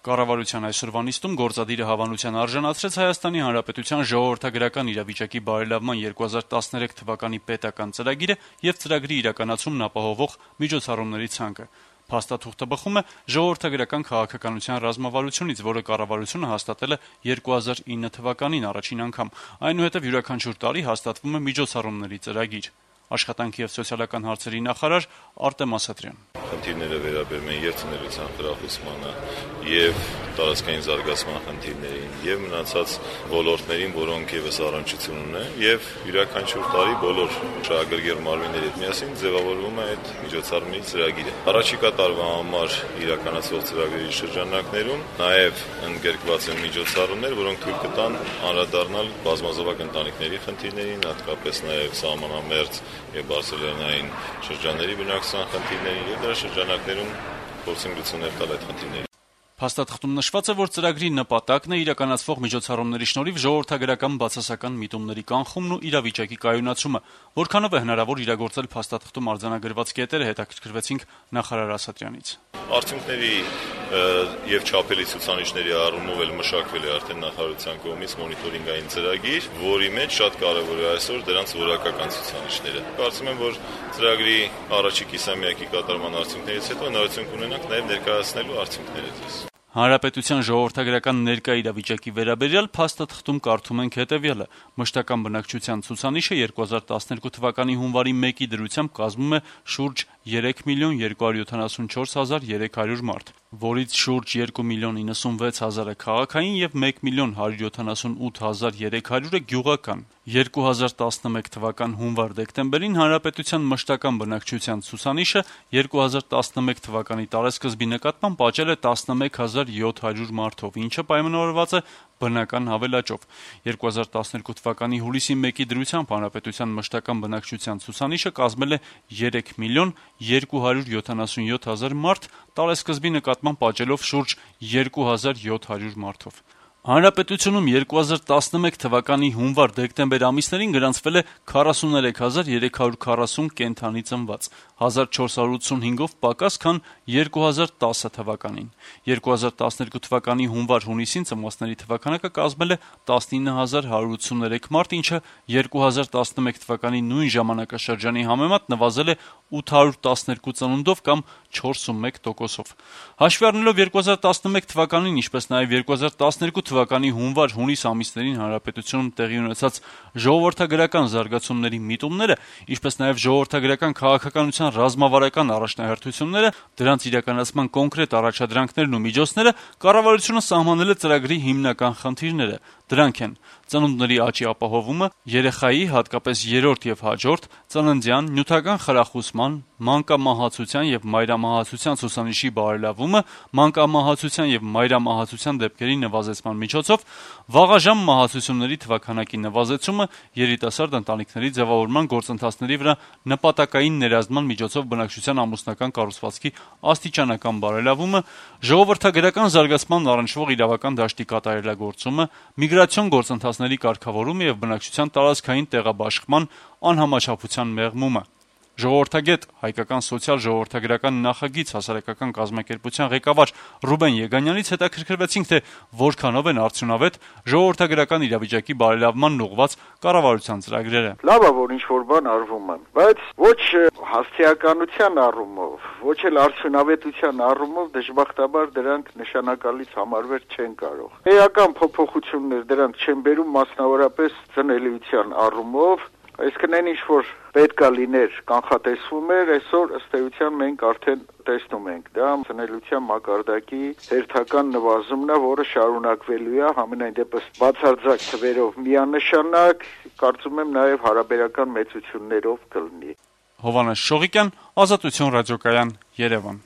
Կառավարության այսօրվա նիստում գործադիրը հավանության արժանացրեց Հայաստանի Հանրապետության ժողովրդագրական իրավիճակի բարելավման 2013 թվականի պետական ծրագիրը եւ ծրագրի իրականացումն ապահովող միջոցառումների ցանկը։ Փաստաթուղթը բխում է ժողովրդագրական քաղաքականության ռազմավարությունից, որը կառավարությունը հաստատել է 2009 թվականին առաջին անգամ, այնուհետև յուրաքանչյուր տարի հաստատվում է միջոցառումների ծրագիր։ Աշխատանքի եւ սոցիալական հարցերի նախարար Արտեմ Ասատրյան. Խնդիրները վերաբերում են եւ ծնելիության խրախուսմանը, եւ տարածքային զարգացման խնդիրներին, եւ մնացած ոլորտներին, որոնք եւս առնչություն ունեն, եւ յուրաքանչյուր տարի բոլոր շահագրգիռ մարմինների հետ միասին ձևավորվում է այդ միջոցառումների ծրագիրը։ Առաջիկա տարվա համար իրականացվող ծրագրերի շրջանակներում նաեւ ընդգրկված են միջոցառումներ, որոնք թույլ կտան անդրադառնալ բազմազավակ ընտանիքների խնդիրներին, հատկապես նաեւ սահմանամերձ եւ բարսելոնային շրջանների բնակչության խնդիրներին, եւ դրա շրջանակներում փորձենք լուծումներ տալ այդ խնդիրներին։ Փաստաթղթում նշված է, որ ծրագրի նպատակն է իրականացվող միջոցառումների շնորհիվ ժողովրդագրական բացասական միտումների կանխումն ու իրավիճակի կայունացումը, որքանով է հնարավոր իրագործել փաստաթղթում արձանագրված կետերը, հետաքրքրվեցինք նախարար Ասատրյանից։ Արդյունքների եւ չափելի ցուցանիշների առումով էլ մշակվել է արդեն նախարարության կողմից մոնիտորինգային ծրագիր, որի մեջ շատ կարեւոր է այսօր դրանց որակական ցուցանիշները։ Կարծում եմ, որ ծրագրի առաջի կիսամյակի կատարման արդյունքներից հետո հնարավորություն կունենանք նաեւ ներկայացնելու արդյունքները ձեզ։ Հանրապետության ժողովրդագրական ներկա իրավիճակի վերաբերյալ փաստաթղթում կարդում ենք հետևյալը. մշտական բնակչության ցուցանիշը 2012 թվականի հունվարի 1-ի դրությամբ կազմում է շուրջ 3 միլիոն 274 հազար 300 մարդ, որից շուրջ 2 միլիոն 96 հազարը քաղաքային եւ 1 միլիոն 178 հազար 300-ը գյուղական։ 2011 թվական հունվար-դեկտեմբերին հանրապետության մշտական բնակչության ցուցանիշը 2011 թվականի տարեսկզբի նկատմամբ աճել է 11,700 մարդով, ինչը պայմանավորված է բնական հավելաճով։ 2012 թվականի հուլիսի 1-ի դրությամբ հանրապետության մշտական բնակչության ցուցանիշը կազմել է 3 միլիոն 277 հազար մարդ, տարեսկզբի նկատմամբ աճելով շուրջ 2700 մարդով։ Հանրապետությունում 2011 թվականի հունվար-դեկտեմբեր ամիսներին գրանցվել է 43340 կենդանի ծնված, 1485-ով պակաս, քան 2010 թվականին։ 2012 թվականի հունվար-հունիսին ծնվածների թվականակը կազմել է 19183 մարդ, ինչը 2011 թվականի նույն ժամանակաշրջանի համեմատ նվազել է 812 ծնունդով կամ 4.1%-ով։ Հաշվի առնելով 2011 թվականին, ինչպես նաև 2012 թվականի հունվար-հունիս ամիսներին հանրապետությունում տեղի ունեցած ժողովրդագրական զարգացումների միտումները, ինչպես նաև ժողովրդագրական քաղաքականության ռազմավարական առաջնահերթությունները, դրանց իրականացման կոնկրետ առաջադրանքներն ու միջոցները, կառավարությունը սահմանել է ծրագրի հիմնական խնդիրները։ Դրանք են ծնունդների աճի ապահովումը, երեխայի, հատկապես երրորդ եւ հաջորդ, ծննդյան, նյութական խրախուսման, մանկամահացության եւ մայրամահացության ցուցանիշի բարելավումը, մանկամահացության եւ մայրամահացության դեպքերի նվազեցման միջոցով, վաղաժամ մահացությունների թվաքանակի նվազեցումը, երիտասարդ ընտանիքների ձևավորման գործընթացների վրա նպատակային ներազդման միջոցով բնակչության ամուսնական կառուցվածքի աստիճանական բարելավումը, ժողովրդագրական զարգացման առնչվող իրավական դաշտի կատարելագործումը, միգրացիոն գործընթացների կարգավորումը եւ բնակչության տարածքային տեղաբաշխման անհամաչափության մեղմումը։ Ժողովրդագետ, հայկական սոցիալ-ժողովրդագրական նախագիծ հասարակական կազմակերպության ղեկավար Ռուբեն Եգանյանից հետաքրքրվեցինք, թե որքանով են արդյունավետ ժողովրդագրական իրավիճակի բարելավմանն ուղղված կառավարության ծրագրերը։ Լավ է, որ ինչ-որ բան արվում է, բայց ոչ հասցեականության առումով, ոչ էլ արդյունավետության առումով դժբախտաբար դրանք նշանակալից համարվել չեն կարող։ Էական փոփոխություններ դրանք չեն բերում, մասնավորապես ծնելիության առումով, այսինքն այն ինչ-որ պետք է լիներ կանխատեսվում էր, այսօր ըստ էության մենք արդեն տեսնում ենք։ Դա ծնելիության մակարդակի հերթական նվազումն է, որը շարունակվելու է, համենայն դեպս բացարձակ թվերով միանշանակ, կարծում եմ նաև հարաբերական մեծություններով կլինի։ Հովհաննես Շողիկյան, Ազատություն ռադիոկայան, Երևան։